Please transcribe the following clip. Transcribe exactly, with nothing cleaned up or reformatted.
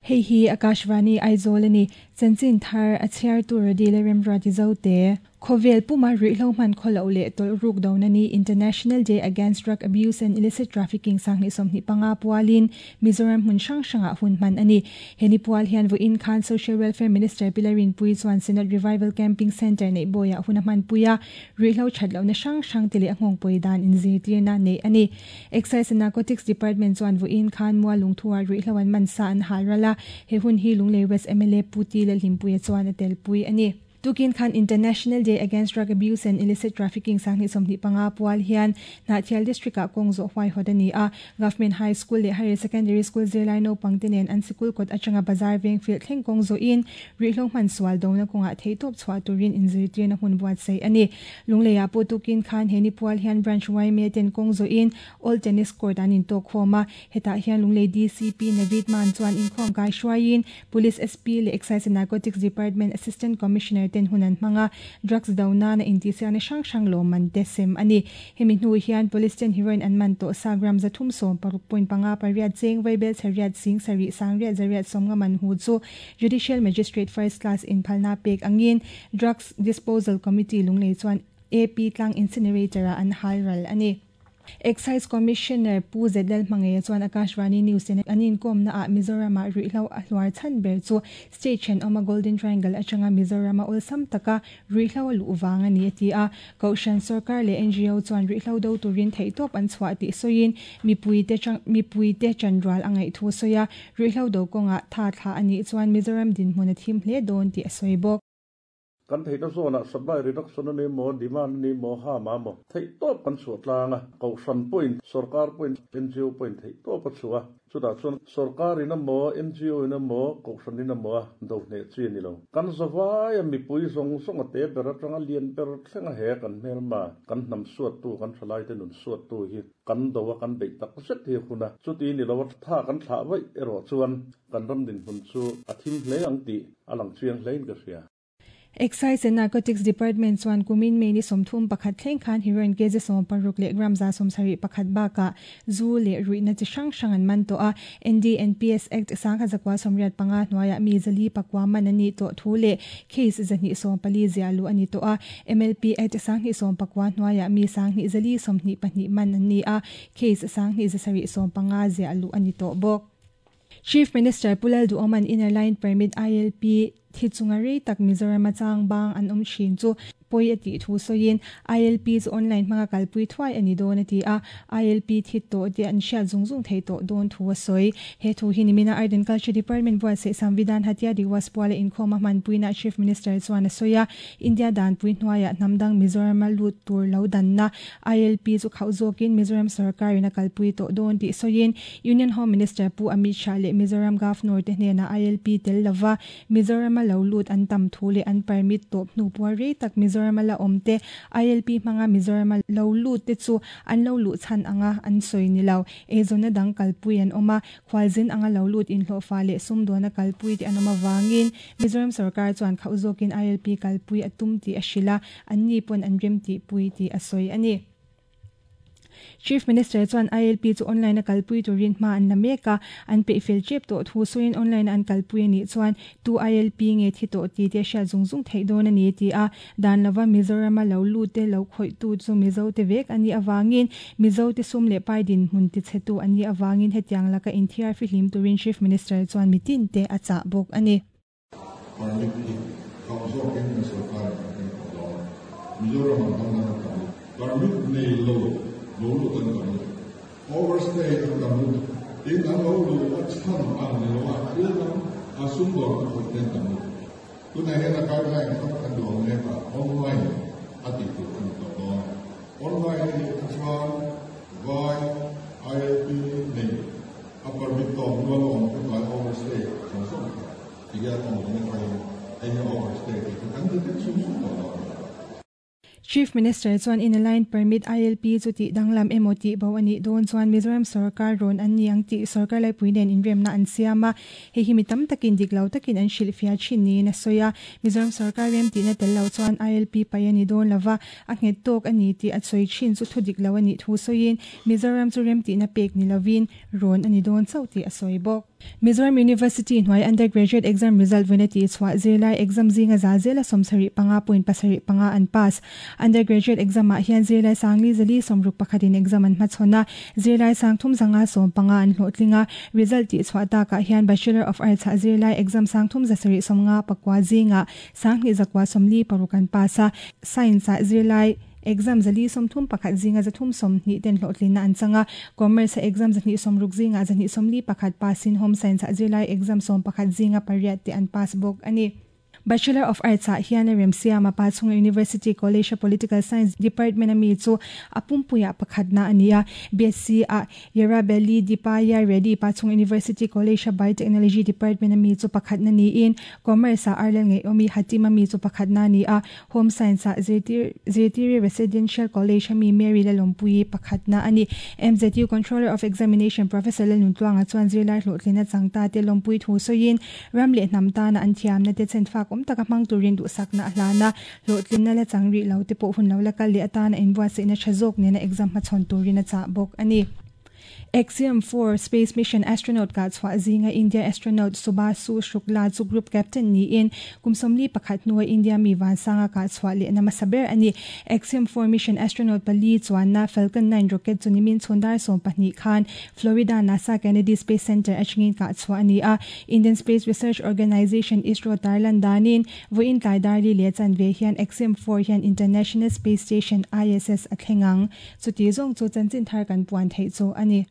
Hei hi Akashvani Aizawl ani chanchin thar a chhiar tur dile remruati zote Khovel puma ruihhlo hman khawlo leh tawlh ruk do na ni International Day Against Drug Abuse and Illicit Trafficking sanghnih sawmhnih panga pualin Mizoram hmun hrang hrangah hun hman ani. Heni pual hian vawiin khan Social Welfare Minister Pilarin Pui chuan Synod Revival Camping Centre nei bawia hun a hman puia ruihhlo that lohna hrang hrang te leh a nghawng pawi dan inzirtirna nei ani. Excise and Narcotics Department chuan vawiin khan mual lungthuah ruihhlo an man sa an hal rala he hun hi Lunglei West M L A Puti leh Hlimpuia chuan a tel pui ani. Tukin khan International Day Against Drug Abuse and Illicit Trafficking sanghnih sawmhnih panga pual hian Hnahthial District ah kawng zawh huai hawt ani a. Government High School leh Higher Secondary School zirlai naupang te nen an sikul kawt atanga bazar veng field thleng kawng zawhin ruihhlo hman sual dona kawngah theitawp chhuah turin inzirtirna hun buatsaih ani. Lungleiah pawh tukin khan heni pual hian branch Y M A ten kawng zawhin All Tennis Court an intawk khawm a. Hetah hian Lunglei D C P Navid Man chuan inkhawm kai hruaiin Police S P leh Excise and Narcotics Department Assistant Commissioner ten hunan hmanga drugs dona na intisiakna hrang hrang lawm te sem ani. Hemi hnu hian police ten heroin an man to sa gram zathum sawm paruk point panga pariat cheng vaibel chariat sing sari sangriat zariat somnga man hu chu Judicial Magistrate First Class in phalna pek angin Drugs Disposal Committee lunglei chuan A P tlang incinerator an halral ani. Excise Commissioner Pu Zedel Mangeya chuan Akashvani News ten anin kom na a Mizoram a ruihhlo a hluar chan ber chu state then awma Golden Triangle atanga Mizoram a awlsam taka ruihhlo a luh wang ani ati a. Kohhran sarkar leh N G O chuan ruihhlo do turin theihtawp an chhuah tih sawiin mipui te chang mipui te chanrual a ngaih thu sawi a ruihhlo do kawnga tha thla ani chuan Mizoram dinhmun a thim hle dawn tih a sawi bawk. Kan thei ta zona supply reduction ani mo demand ni mo ha ma mo thei top kan chu tlanga ko hran point sarkar point N G O point thei top a chuwa chuta chuan sarkar ina mo N G O ina mo ko hran ina mo do ne chi ni lo kan zawai mi pui zong zong ate ber atanga lian ber thlenga he kan hmel ma kan hnam suat tu kan thalai te nun suat tu hi kan do wa kan bei tak set hi khuna chuti ni lo tha kan thla vai ero chuan kan ram din hun chu a thim hle ang ti alang chiang hlein ka hria. Excise and Narcotics Department chuan kumin mei ni sawmthum pakhat thleng khan heroin kg sawm paruk leh gram za sawmsarih pakhat bakah zu leh ruihna chi hrang hrang an man tawh a. N D N P S Act sangkhat zakua sawmriat panga hnuaiah mi zali pakua man ani tawh thu leh case zahnih sawm pali ziahlu ani tawh a. M L P Act sanghnih sawm pakua hnuaiah mi sanghnih zali sawmhnih pahnih man ani a. Case sanghnih zasarih sawm panga ziahlu ani tawh bawk. Chief Minister Pulal Duoman Inner Line Permit I L P thichunga rei tak Mizoram chang bang an awm thin chu poi ati thu sawiin I L P chu online hmanga kalpui thuai ani dawn ati a. I L P thi to te an hriat zung zung thei tawh dawn thu a sawi. He thu hi nimina Art and Culture Department buatsaih Samvidhan Hatia Diwas puala inkhawm a hmanpuina Chief Minister chuan a sawi a. India danpui hnuaiah hnamdang Mizoram a lut tur lo danna I L P chu khauh zawkin Mizoram sarkarin a kalpui tawh dawn tih sawiin Union Home Minister Pu Amit Shah leh Mizoram Governor te hnenah I L P tel lova Mizoram a lo lut an tam thu leh an permit tawp hnu puar rei tak Mizoram a la awm te I L P hmanga Mizoram a lo lut te chu an lo luh chhan anga an sawi ni lo. Eizawnna dang kalpui an awm a, khualzin anga lo lut inhlawhfa leh sumdawn a kalpui te an awm awangin Mizoram sarkar chuan khauh zawkin I L P kalpui a tum tih a hrilh a, an ni pawn an rem tih pui tih a sawi ani. Chief Minister chuan I L P chu online a kalpui turin hma an la mek a, an peihfel tep tawh thu sawiin online an kalpui ani chuan tu I L P nge thi tawh ti te hriat zung zung theih dawn ani ti a. Dan lova Mizoram a lo lut te lo khawih tu chu Mizo te vek ani awangin Mizo te sum leh pai din hmun ti che tu ani awangin hetiang laka inthiar fihlim turin Chief Minister chuan mitin te a chah bawk ani. Permit hi khauh zawkin kan sarkar in kan tawh dawn. Mizoram ang dang dang an tam lut. Permit nei lo lo lut an tam lut. Overstay an tam lut. Tin an lo lut a chhan ang ni lo a thil dang a sumdawn a khawih te an tam lut. Tunah hian a guideline kha kan duang mek a online a tih tur a ni tawh dawn. Online a nih chuan vai I L P nei a permit tawp nual a awm te tlai overstay zawng zawng kha ti hian online atangin hei hi overstay tih chu kan ti vek sum sum tawh dawn. Chief Minister chuan Inner Line Permit I L P chu tih danglam emaw tih bo ani dawn chuan Mizoram sarkar rawn an ni ang tih sarkar laipui nen inremna an siam a. Hei hi mi tam takin dik lo takin an hrilh fia thin niin a sawi a. Mizoram sarkar rem tihna tel lo chuan I L P pai ani dawn lova a nghet tawk ani tih a sawi thin chu thu dik lo ani thu sawiin Mizoram chu rem tihna pek ni lovin rawn ani dawn chauh tih a sawi bawk. Mizoram University hnuai undergraduate exam result vawiina tih chhuah zirlai exam zinga za zela sawmsarih panga point pasarih panga an pass. Undergraduate exam ah hian zirlai sangli zali sawmruk pakhatin exam an hmachhawn a, zirlai sang thum zanga sawm panga an hlawhtling a. Result tih chhuah takah hian Bachelor of Arts ah zirlai exam sang thum zasarih sawmnga pakua zinga sanghnih zakua sawmli paruk an pass a, Science ah zirlai exam zali sawmthum pakhat zinga zathum sawmhnih ten hlawhtlina an chang a, Commerce ah exam zahnih sawmruk zinga zahnih sawmli pakhat passin Home Science ah zirlai exam sawm pakhat zinga pariat te an pass bawk a ni. Bachelor of Arts ah hian Remsiama pa chunga University College a Political Science Department a mi chu a pumpuiah pakhatna a ni a, BSc ah Yerabelli Deepaya Reddy pa chunga University College a Biotechnology Department a mi chu pakhatna niin Commerce ah Arlel Ngeiawmi Hatim a mi chu pakhatna a ni a, Home Science ah Zirtiri Residential College a mi Mary Lalawmpuii pakhatna a ni. MZU Controller of Examination Professor Lalnuntluanga chuan zirlai hlawhtlina changta te lawmpui thu sawiin ram leh hnam tana an thiamna te chenfak awm taka hmang turin duhsakna a hlan a, hlawhtlina la chang rih lo te pawh hun lo la kal leh atana inbuatsaihna tha zawk nena exam hmachhawn turin a chah bawk a ni. Axiom four Space Mission astronaut kah chhuah zinga India astronaut Subhasu Shukla chu group captain niin kum sawmli pakhat hnua India mi vansanga kah chhuah lehna hmasa ber a ni. Axiom four mission astronaut pali chuanna Falcon nine rocket chu nimin chhundar sawm pahnih khan Florida NASA Kennedy Space Center atangin kah chhuah a ni a. Indian Space Research Organisation ISRO tarlan danin vawiin tlai darli leh chanve hian Axiom four hian International Space Station ISS a thleng ang. Chuti zawng chu chanchin thar kan puan theih chu a ni.